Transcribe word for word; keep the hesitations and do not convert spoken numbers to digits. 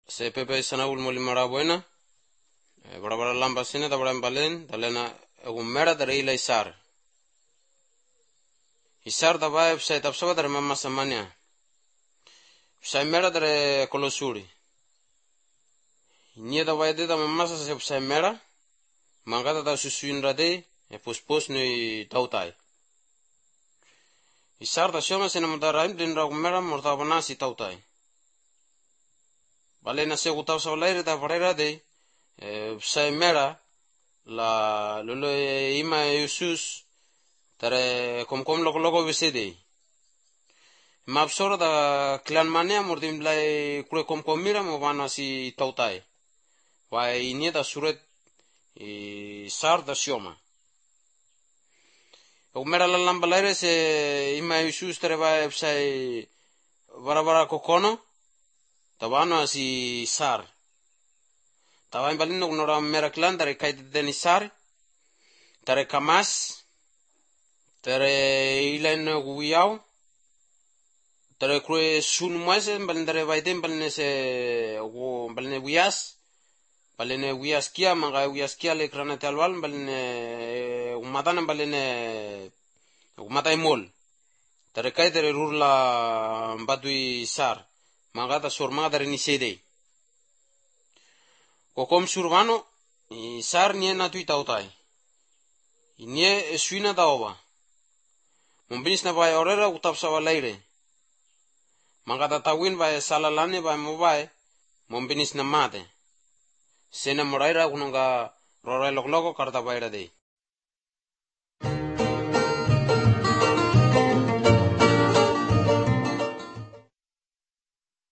Se pepe sana ul moli mara buena. Bara bara lamba sini ta bara balen talena egumera dari ila isar. Isar ta ba sai tapsaba dari mamma samanya. Sai mera dari kolosuri. Nia ta ba de ta mamma sa sai mera. Mangata ta susuin rade e pospos ni tautai. Isar ta sioma sina mutaraim din ra gumera morta banasi tautai. Balena se gutau sa laire ta parera de sai mera la lolo ima Yesus tare komkom loko loko besede. Mapsora da clan mania mordim lai kure komkom mira mo vana si tautai. Wa ini da suret i sar da sioma. Umera la lamba laire se ima Yesus tare va sai bara kokono tabano si sar. Tawain balin no nora mera clan tare kai deni sar tare kamas tare ilain guiao tare kue sun muese balin tare vaidem balin se go balin wias balin wias kia manga wias kia le krana talwal balin umatan balin umatai mol tare kai tare rurla badui sar manga ta sorma tare ni sede kokom survano sar nie na tu tautai nie suina daoba mombinis na vai orera utap sa walaire manga ta tawin vai salalane vai mobai mombinis na mate sena moraira kunanga rorai lokloko karta vaira dei